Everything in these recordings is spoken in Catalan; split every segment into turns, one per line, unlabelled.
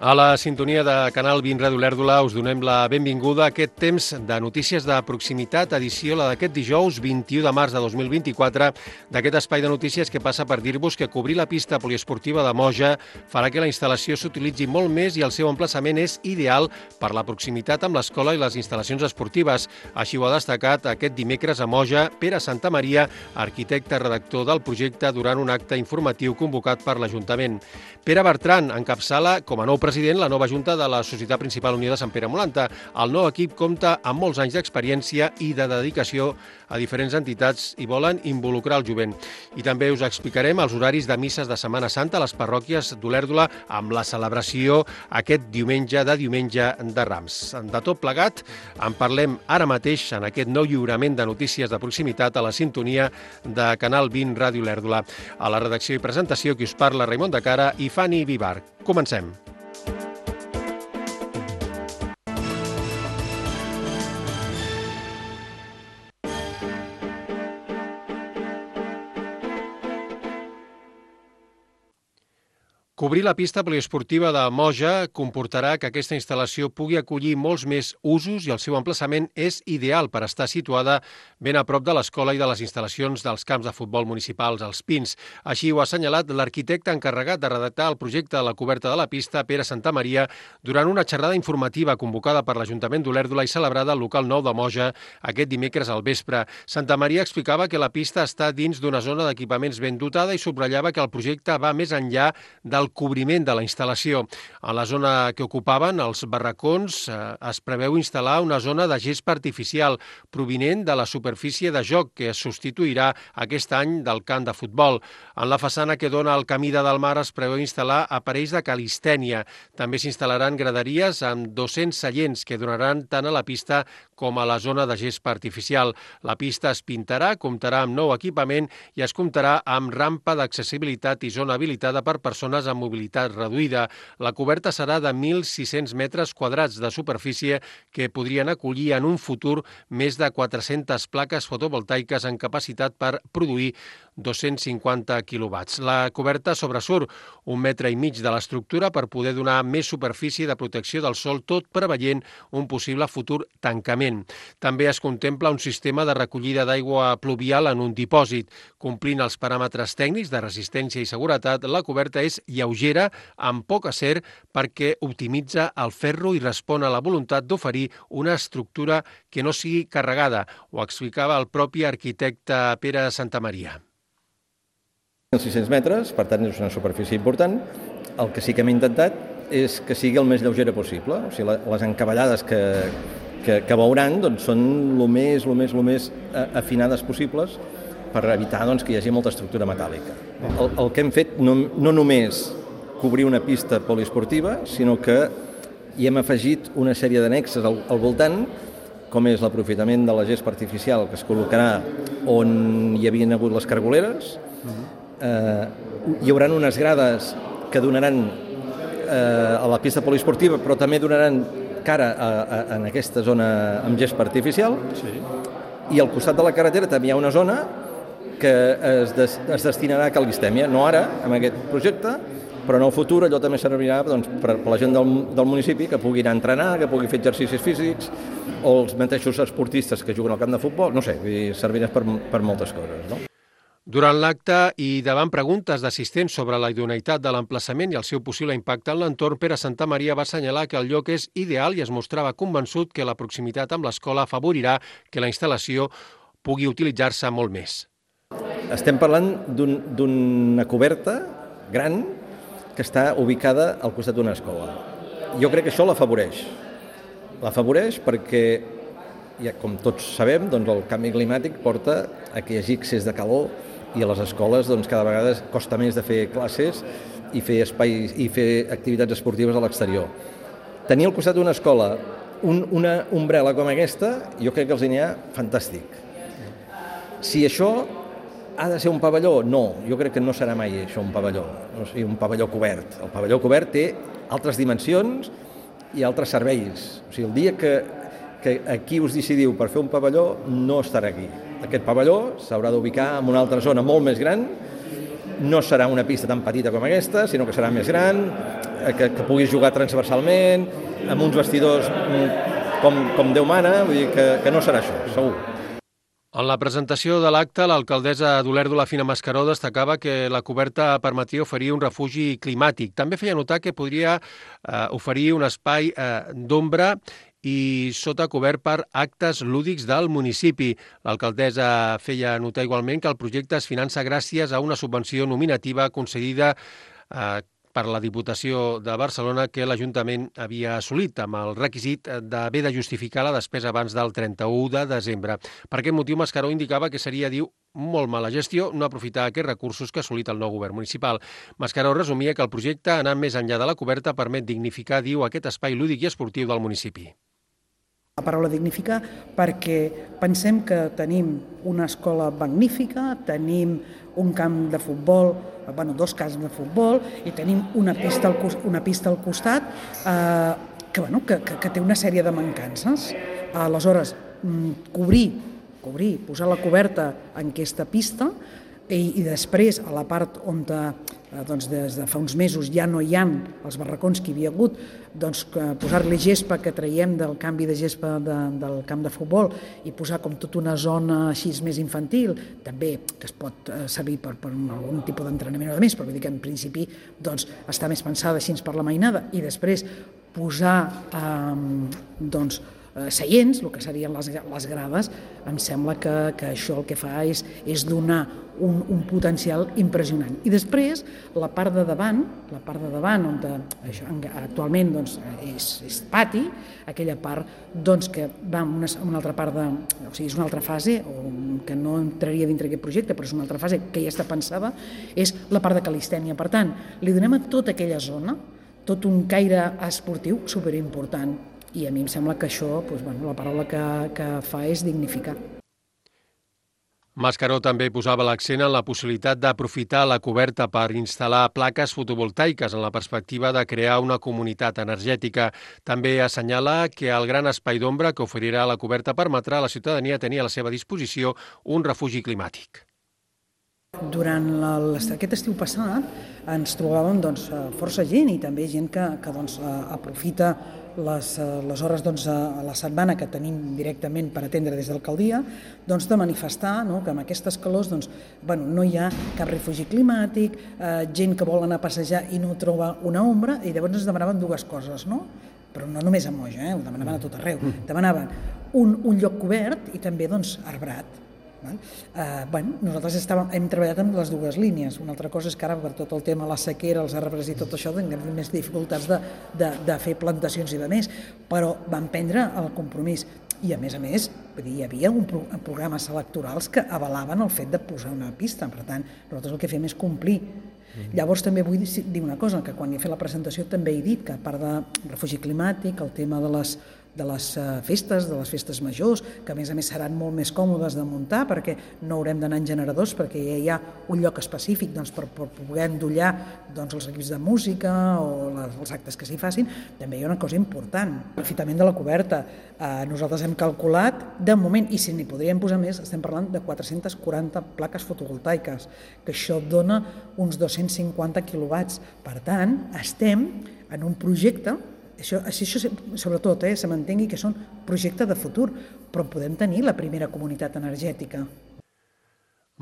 A la sintonia de Canal 20 Ràdio Olèrdola us donem la benvinguda a aquest temps de notícies de proximitat, edició la d'aquest dijous 21 de març de 2024, d'aquest espai de notícies que passa per dir-vos que cobrir la pista poliesportiva de Moja farà que la instal·lació s'utilitzi molt més i el seu emplaçament és ideal per la proximitat amb l'escola i les instal·lacions esportives. Així ho ha destacat aquest dimecres a Moja Pere Santamaria, arquitecte redactor del projecte, durant un acte informatiu convocat per l'Ajuntament. Pere Bertran encapçala com a nou president la nova junta de la Societat Principal Unió de Sant Pere Molanta. El nou equip compta amb molts anys d'experiència i de dedicació a diferents entitats i volen involucrar el jovent. I també us explicarem els horaris de misses de Setmana Santa a les parròquies d'Olèrdola amb la celebració aquest diumenge de Rams. De tot plegat en parlem ara mateix en aquest nou lliurament de notícies de proximitat a la sintonia de Canal 20 Ràdio Olèrdola. A la redacció i presentació qui us parla, Raimon de Cara i Fanny Vivar. Comencem. Cobrir la pista poliesportiva de Moja comportarà que aquesta instal·lació pugui acollir molts més usos i el seu emplaçament és ideal per estar situada ben a prop de l'escola i de les instal·lacions dels camps de futbol municipals, els Pins. Així ho ha assenyalat l'arquitecte encarregat de redactar el projecte de la coberta de la pista, Pere Santamaria, durant una xerrada informativa convocada per l'Ajuntament d'Olèrdola i celebrada al local 9 de Moja aquest dimecres al vespre. Santamaria explicava que la pista està dins d'una zona d'equipaments ben dotada i subratllava que el projecte va més enllà del cobriment de la instal·lació. A la zona que ocupaven, els barracons, es preveu instal·lar una zona de gespa artificial provinent de la superfície de joc que es substituirà aquest any del camp de futbol. En la façana que dona al camí de Dalmar es preveu instal·lar aparells de calistènia. També s'instal·laran graderies amb 200 seients que donaran tant a la pista com a la zona de gespa artificial. La pista es pintarà, comptarà amb nou equipament i es comptarà amb rampa d'accessibilitat i zona habilitada per persones amb mobilitat reduïda. La coberta serà de 1.600 metres quadrats de superfície que podrien acollir en un futur més de 400 plaques fotovoltaiques en capacitat per produir 250 quilowatts. La coberta sobresurt 1,5 metres de l'estructura per poder donar més superfície de protecció del sol, tot preveient un possible futur tancament. També es contempla un sistema de recollida d'aigua pluvial en un dipòsit. Complint els paràmetres tècnics de resistència i seguretat, la coberta és lleugera, amb poc acer, perquè optimitza el ferro i respon a la voluntat d'oferir una estructura que no sigui carregada. Ho explicava el propi arquitecte Pere Santamaria.
1.600 metres, per tant és una superfície important. El que sí que hem intentat és que sigui el més lleugera possible. O sigui, les encavallades que veuran doncs, són el més afinades possibles per evitar doncs, que hi hagi molta estructura metàl·lica. El que hem fet no només cobrir una pista poliesportiva, sinó que hi hem afegit una sèrie d'annexes al voltant, com és l'aprofitament de la gespa artificial que es col·locarà on hi havien hagut les cargoleres. Hi haurà unes grades que donaran a la pista poliesportiva, però també donaran cara en aquesta zona amb gespa artificial. Sí. I al costat de la carretera també hi ha una zona que es destinarà a calistèmia, no ara, amb aquest projecte, però en el futur allò també servirà doncs, per la gent del municipi que pugui anar a entrenar, que pugui fer exercicis físics, o els mateixos esportistes que juguen al camp de futbol, no sé, servirà per moltes coses, no?
Durant l'acte i davant preguntes d'assistents sobre la idoneïtat de l'emplaçament i el seu possible impacte en l'entorn, Pere Santamaria va assenyalar que el lloc és ideal i es mostrava convençut que la proximitat amb l'escola afavorirà que la instal·lació pugui utilitzar-se molt més.
Estem parlant d'una coberta gran que està ubicada al costat d'una escola. Jo crec que això l'afavoreix. L'afavoreix perquè, ja, com tots sabem, doncs el canvi climàtic porta a que hi hagi excés de calor i a les escoles doncs, cada vegada costa més de fer classes i fer espais i fer activitats esportives a l'exterior. Tenir al costat d'una escola una ombrel·la com aquesta, jo crec que els n'hi ha fantàstic. Si això ha de ser un pavelló? No, jo crec que no serà mai això un pavelló, o sigui, un pavelló cobert. El pavelló cobert té altres dimensions i altres serveis. O sigui, el dia que aquí us decidiu per fer un pavelló, no estarà aquí. Aquest pavelló s'haurà d'ubicar en una altra zona molt més gran no serà una pista tan petita com aquesta, sinó que serà més gran, que puguis jugar transversalment, amb uns vestidors com Déu mana, vull dir que no serà això, segur.
En la presentació de l'acte, l'alcaldessa d'Olèrdola, Fina Mascaró, destacava que la coberta permetria oferir un refugi climàtic. També feia notar que podria oferir un espai d'ombra i sota cobert per actes lúdics del municipi. L'alcaldessa feia notar igualment que el projecte es finança gràcies a una subvenció nominativa concedida per la Diputació de Barcelona que l'Ajuntament havia assolit amb el requisit d'haver de justificar la despesa abans del 31 de desembre. Per aquest motiu, Mascaró indicava que seria, diu, molt mala gestió no aprofitar aquests recursos que ha assolit el nou govern municipal. Mascaró resumia que el projecte, anant més enllà de la coberta, permet dignificar, diu, aquest espai lúdic i esportiu del municipi.
La paraula dignificar perquè pensem que tenim una escola magnífica, tenim un camp de futbol, dos camps de futbol i tenim una pista al costat que té una sèrie de mancances. Aleshores, cobrir, posar la coberta en aquesta pista i després a la part on des de fa uns mesos ja no hi ha els barracons que hi havia hagut, posar-li gespa que traiem del canvi de gespa del camp de futbol i posar com tota una zona així més infantil, també que es pot servir per algun tipus d'entrenament o de més, però vull dir que en principi està més pensada així per la mainada i després posar seients, el que serien les grades, em sembla que això el que fa és donar un potencial impressionant. I després, la part de davant on actualment és pati, aquella part que va en una altra part és una altra fase, que no entraria dintre aquest projecte, però és una altra fase que ja està pensada, és la part de calistènia. Per tant, li donem a tota aquella zona tot un caire esportiu superimportant. I a mi em sembla que això, la paraula que fa és dignificar.
Mascaró també posava l'accent en la possibilitat d'aprofitar la coberta per instal·lar plaques fotovoltaiques en la perspectiva de crear una comunitat energètica. També assenyala que el gran espai d'ombra que oferirà la coberta permetrà a la ciutadania tenir a la seva disposició un refugi climàtic.
Durant aquest estiu passat ens trobàvem força gent i també gent que aprofita les hores a la setmana que tenim directament per atendre des de l'alcaldia de manifestar que amb aquestes calors no hi ha cap refugi climàtic, gent que vol anar a passejar i no troba una ombra i llavors ens demanaven dues coses, però no només a Moja, ho demanaven a tot arreu, demanaven un lloc cobert i també arbrat. Nosaltres hem treballat amb les dues línies. Una altra cosa és que ara per tot el tema de la sequera, els arbres i tot això tenim més dificultats de fer plantacions i de més, però vam prendre el compromís i a més hi havia programes electorals que avalaven el fet de posar una pista, per tant nosaltres el que fem és complir. Llavors també vull dir una cosa, que quan he fet la presentació també he dit que a part de refugi climàtic, el tema de les festes majors, que a més seran molt més còmodes de muntar perquè no haurem d'anar en generadors, perquè ja hi ha un lloc específic per poder endollar els equips de música o els actes que s'hi facin. També hi ha una cosa important, l'afitament de la coberta. Nosaltres hem calculat, de moment, i si n'hi podríem posar més, estem parlant de 440 plaques fotovoltaiques, que això dona uns 250 quilowatts. Per tant, estem en un projecte. Això sobretot se m'entengui que són projectes de futur, però podem tenir la primera comunitat energètica.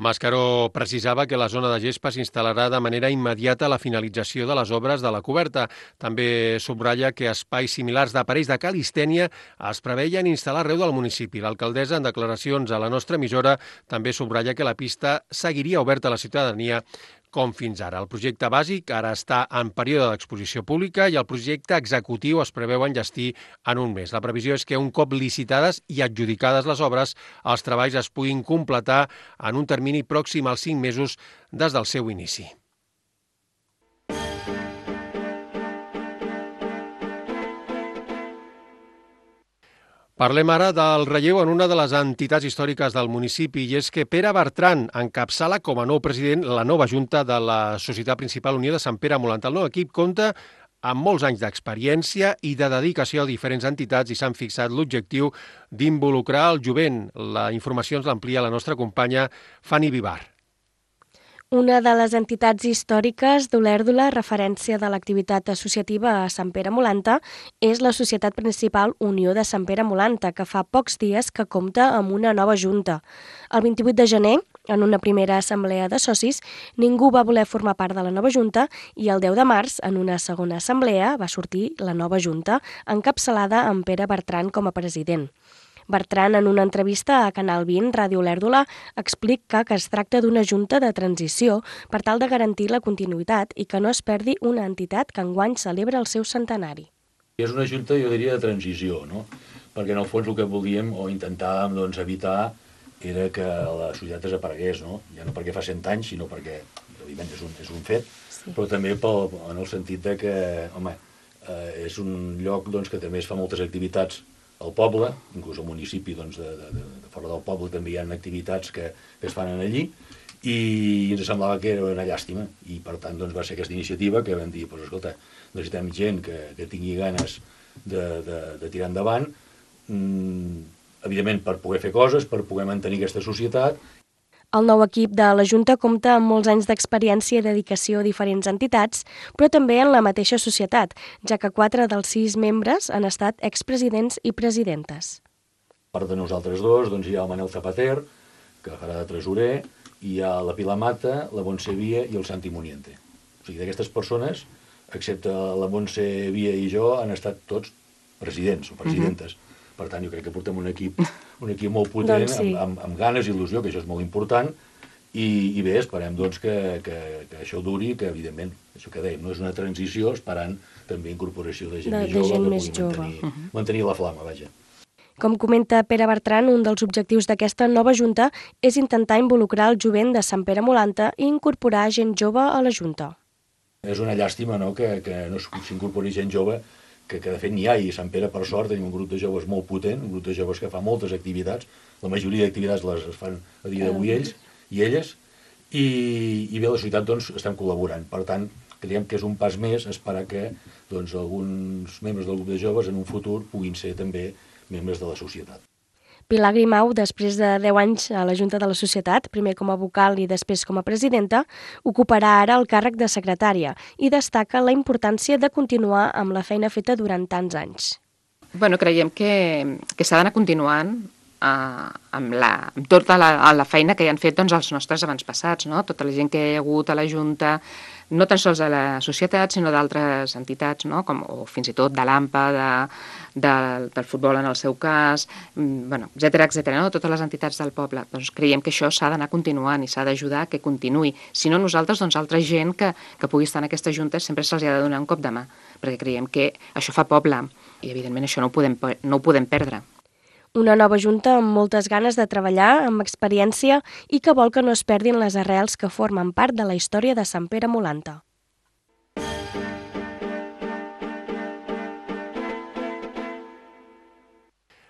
Mascaró precisava que la zona de gespa s'instal·larà de manera immediata a la finalització de les obres de la coberta. També subratlla que espais similars d'aparells de calistènia es preveien instal·lar arreu del municipi. L'alcaldessa, en declaracions a la nostra emissora, també subratlla que la pista seguiria oberta a la ciutadania com fins ara. El projecte bàsic ara està en període d'exposició pública i el projecte executiu es preveu enllestir en un mes. La previsió és que un cop licitades i adjudicades les obres, els treballs es puguin completar en un termini pròxim als 5 mesos des del seu inici. Parlem ara del relleu en una de les entitats històriques del municipi i és que Pere Bertran encapçala com a nou president la nova junta de la Societat Principal Unió de Sant Pere Molant. El nou equip compta amb molts anys d'experiència i de dedicació a diferents entitats i s'han fixat l'objectiu d'involucrar el jovent. La informació ens l'amplia la nostra companya Fanny Vivar.
Una de les entitats històriques d'Olèrdola, referència de l'activitat associativa a Sant Pere Molanta, és la Societat Principal Unió de Sant Pere Molanta, que fa pocs dies que compta amb una nova junta. El 28 de gener, en una primera assemblea de socis, ningú va voler formar part de la nova junta i el 10 de març, en una segona assemblea, va sortir la nova junta, encapçalada amb Pere Bertran com a president. Bertran, en una entrevista a Canal 20, Ràdio Olèrdola, explica que es tracta d'una junta de transició per tal de garantir la continuïtat i que no es perdi una entitat que enguany celebra el seu centenari.
És una junta, jo diria, de transició, no? Perquè en el fons el que volíem o intentàvem evitar era que la societat desaparegués, no? Ja no perquè fa 100 anys, sinó perquè, evidentment, és un fet, sí. Però també en el sentit de que, home, és un lloc que també es fa moltes activitats al poble, inclús al municipi de fora del poble també hi ha activitats que es fan allí, i ens semblava que era una llàstima, i per tant va ser aquesta iniciativa que vam dir, escolta, necessitem gent que tingui ganes de tirar endavant, evidentment per poder fer coses, per poder mantenir aquesta societat.
El nou equip de la Junta compta amb molts anys d'experiència i dedicació a diferents entitats, però també en la mateixa societat, ja que 4 dels 6 membres han estat expresidents i presidentes.
A part de nosaltres dos, hi ha el Manel Zapater, que farà de tresorer, i hi ha la Pilar Mata, la Montse Via i el Santi Muniente. O sigui, d'aquestes persones, excepte la Montse Via i jo, han estat tots presidents o presidentes. Per tant, jo crec que portem un equip molt potent, sí. amb ganes i il·lusió, que això és molt important, i bé, esperem que això duri, que evidentment, això que dèiem, no és una transició, esperant també incorporació de gent més jove, que pugui mantenir la flama, vaja.
Com comenta Pere Bertran, un dels objectius d'aquesta nova Junta és intentar involucrar el jovent de Sant Pere Molanta i incorporar gent jove a la Junta.
És una llàstima, no?, que no s'incorpori gent jove, que de fet n'hi ha, i a Sant Pere, per sort, tenim un grup de joves molt potent, un grup de joves que fa moltes activitats, la majoria d'activitats les fan a dia d'avui ells i elles, i bé, la societat estem col·laborant. Per tant, creiem que és un pas més esperar que alguns membres del grup de joves en un futur puguin ser també membres de la societat.
Pilar Grimau, després de 10 anys a la Junta de la Societat, primer com a vocal i després com a presidenta, ocuparà ara el càrrec de secretària i destaca la importància de continuar amb la feina feta durant tants anys.
Creiem que s'ha d'anar continuant amb tota la feina que hi han fet els nostres avantpassats, no? Tota la gent que hi ha hagut a la Junta, no tan sols de la societat, sinó d'altres entitats, no? O fins i tot de l'AMPA, del futbol en el seu cas, etcètera, no? Totes les entitats del poble. Doncs creiem que això s'ha d'anar continuant i s'ha d'ajudar a que continuï. Si no nosaltres, altra gent que pugui estar en aquesta Junta sempre se'ls ha de donar un cop de mà, perquè creiem que això fa poble i evidentment això no ho podem perdre.
Una nova Junta amb moltes ganes de treballar, amb experiència i que vol que no es perdin les arrels que formen part de la història de Sant Pere Molanta.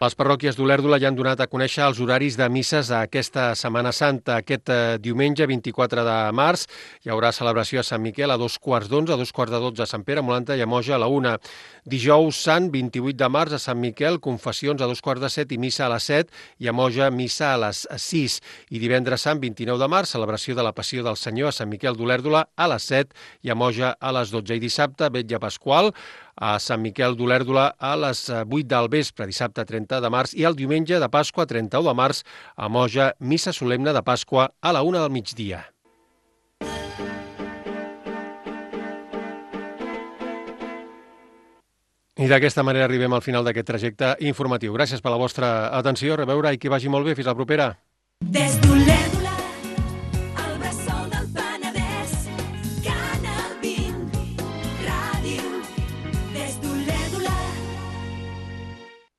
Les parròquies d'Olèrdola ja han donat a conèixer els horaris de misses a aquesta Setmana Santa. Aquest diumenge 24 de març hi haurà celebració a Sant Miquel a 2:15, a 2:12 a Sant Pere Molanta i a Moja a la 1. Dijous Sant, 28 de març, a Sant Miquel, confessions a 2:15 i missa a les 7, i a Moja, missa a les 6. I divendres Sant, 29 de març, celebració de la Passió del Senyor a Sant Miquel d'Olèrdola a les 7 i a Moja a les 12. I dissabte, vetlla pasqual, a Sant Miquel d'Olèrdola a les 8 del vespre, dissabte 30 de març, i el diumenge de Pasqua, 31 de març, a Moja, missa solemne de Pasqua a la 1 del migdia. I d'aquesta manera arribem al final d'aquest trajecte informatiu. Gràcies per la vostra atenció, a reveure i que vagi molt bé. Fins la propera.